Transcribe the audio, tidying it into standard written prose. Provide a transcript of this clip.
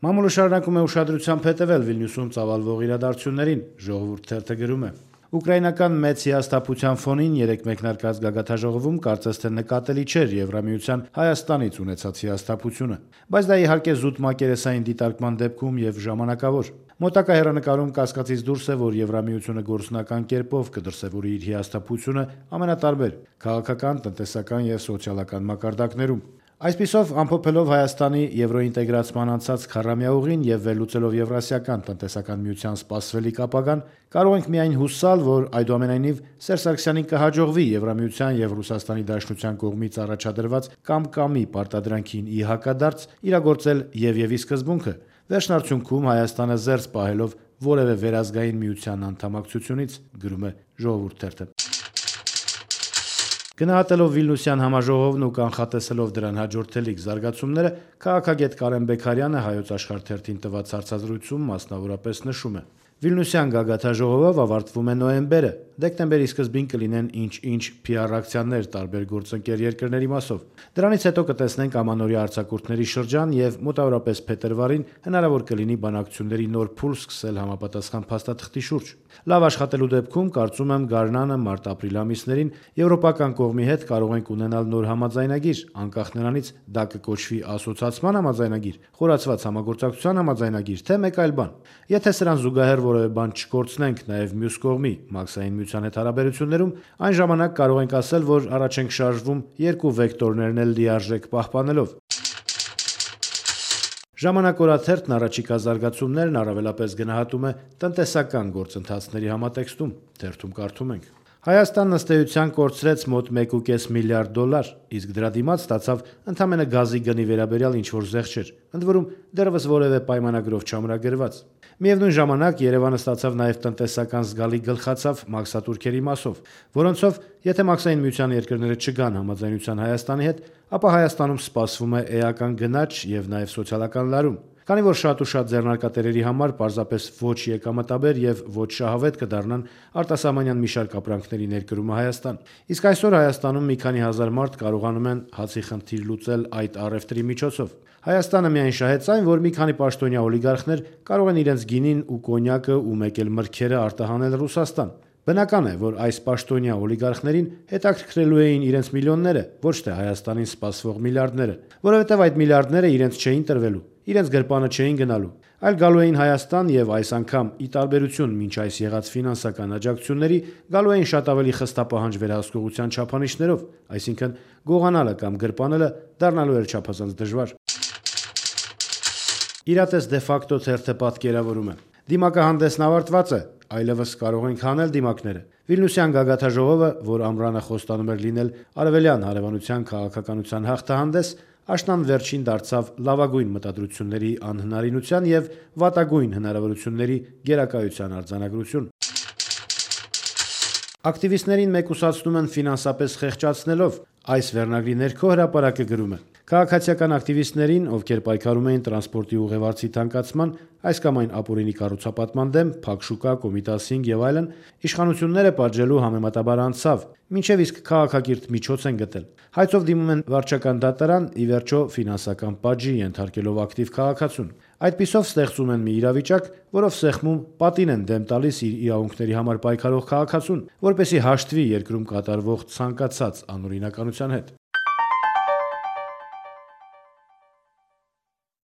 Մամուլը շարունակում է ուշադրությամբ հետևել Վիլնյուսում ծավալվող իրադարձություններին, Ժողովուրդ թերթը գրում է. Ուկրաինական մեծ հիասթափության ֆոնին երեկ մեկնարկած գագաթնաժողովում կարծես թե նկատելի չէր Եվրամիության Հայաստանից ունեցած հիասթափությունը, բայց դա իհարկե զուտ մակերեսային դիտարկման դեպքում եւ ժամանակավոր։ Մոտակա հեռանկարում կասկածից դուրս է, որ Եվրամիությունը գործնական կերպով կդրսևորի իր հիասթափությունը ամենատարբեր քաղաքական, տնտեսական եւ սոցիալական մակարդակներում։ Այսպիսով, ամփոփելով Հայաստանի եվրոինտեգրացման անցած քառամյա ուղին եւ վերլուծելով Եվրասիական տնտեսական միության սպասվելիք ապագան, կարող ենք միայն հուսալ, որ այդուամենայնիվ Սերժ Սարգսյանին կհաջողվի Եվրամիության եւ Ռուսաստանի Դաշնության կողմից առաջադրված կամ-կամի պարտադրանքին ի հակադարձ իրագործել եւ սկզբունքը, վերջնարդյունքում Հայաստանը զերծ պահելով որևէ վերազգային միության անդամակցությունից, գրում է Ժողովուրդ թերթը։ Գնահատելով Վիլնյուսյան համաժողովն ու կանխատեսելով դրան հաջորդելիք զարգացումները, քաղաքագետ Կարեն Բեգարյանը Հայոց Աշխարհ թերթին տված հարցազրույցում մասնավորապես նշում է. Վիլնյուսյան գագաթնաժողովով ավարտվում է նոյեմբերը, դեկտեմբերի սկզբին կլինեն ինչ-ինչ PR ակցիաներ տարբեր գործընկեր երկրների մասով։ Դրանից հետո կտեսնենք ամանորյա արձակուրդների շրջան եւ մոտավորապես փետրվարին հնարավոր կլինի բանակցությունների նոր փուլ սկսել համապատասխան փաստաթղթի շուրջ։ Լավ աշխատելու դեպքում կարծում եմ գարնանը մարտ-ապրիլ ամիսներին եվրոպական կողմի հետ կարող ենք ունենալ նոր համաձայնագիր, անկախ նրանից դա կկոչվի ասոցիացման համաձայնագիր, խորացված համագործակցության համաձայնագիր, թե մեկ այլ բան։ Եթե սրան զուգահեռ որևէ բան չկորցնենք նաև մյուս կողմի մաքսային միության հետ հարաբերություններում, այն ժամանակ կարող ենք ասել, որ առաջ ենք շարժվում երկու վեկտորներն էլ լիարժեք պահպանելով։ Ժամանակ օրաթերթն առաջիկա զարգացումներն առավելապես գնահատում է տնտեսական գործընթացների համատեքստում, թերթում կարդում ենք. Հայաստանն ըստ էության կորցրեց մոտ 1.5 միլիարդ դոլար, իսկ դրա դիմաց ստացավ ընդամենը գազի գնի վերաբերյալ ինչ-որ զեղչեր, ընդ որում դեռևս որևէ պայմանագրով չամրագրված։ Միևնույն ժամանակ Երևանը ստացավ նաև տնտեսական զգալի գլխացավ մաքսատուրքերի մասով, որոնցով եթե մաքսային միության երկրները չգան համաձայնության Հայաստանի հետ, ապա Հայաստանում սպասվում է էական գնաճ եւ նաև սոցիալական լարում։ Քանի որ շատ ու շատ ձեռնարկատերերի համար պարզապես ոչ եկամտաբեր եւ ոչ շահավետ կդառնան արտասահմանյան մի շարք ապրանքների ներկրումը Հայաստան։ Իսկ այսօր Հայաստանում մի քանի հազար մարդ կարողանում են հացի խնդիր լուծել այդ առևտրի միջոցով։ Հայաստանը միայն շահեց այն, որ մի քանի պաշտոնյա օլիգարխներ կարող են իրենց գինին ու կոնյակը ու մեկ էլ մրգերը արտահանել Ռուսաստան։ Բնական է, որ այս պաշտոնյա օլիգարխներին հետաքրքրելու էին իրենց միլիոնները, ոչ թե Հայաստանին սպասվող միլիարդները, որովհետև այդ միլիարդները իրենց չէին տրվելու, իրենց գրպանը չէին գնալու, այլ գալու էին Հայաստան եւ այս անգամ ի տարբերություն մինչ այս եղած ֆինանսական աջակցությունների գալու էին շատ ավելի խստապահանջ վերահսկողության չափանիշներով, այսինքն գողանալը կամ գրպանելը դառնալու էր չափազանց դժվար։ Իրատես դե ֆակտո թերթը պատկերավորում է. Դիմակահանդեսն ավարտված է, այլևս կարող ենք հանել դիմակները։ Վիլնյուսյան գագաթնաժողովը, որ ամռանը խոստանում էր լինել արևելյան հարևանության քաղաքականության հաղթահանդես, աշնան վերջին դարձավ լավագույն մտադրությունների անհնարինության եւ վատագույն հնարավորությունների գերակայության արձանագրություն։ Ակտիվիստներին մեկուսացնում են ֆինանսապես խեղճացնելով։ Այս վերնագրի ներքո հրապարակը գրում է. Քաղաքացիական ակտիվիստներին, ովքեր պայքարում էին տրանսպորտի ուղևարձի թանկացման, այս կամ այն ապօրինի կառուցապատման դեմ, փակ շուկա, Կոմիտասինգ եւ այլն, իշխանությունները պատժելու համեմատաբար անցավ, մինչև իսկ քաղաքակիրթ միջոց են գտել։ Հայցով դիմում են վարչական դատարան, ի վերջո ֆինանսական պատժի ենթարկելով ակտիվ քաղաքացուն։ Այդպիսով ստեղծում են մի իրավիճակ, որով սեղմում պատին են դեմ տալիս իր իրավունքների համար պայքարող քաղաքացուն, որպեսզի հաշտվի երկրում կատարվող ցանկացած անօրինականության հետ։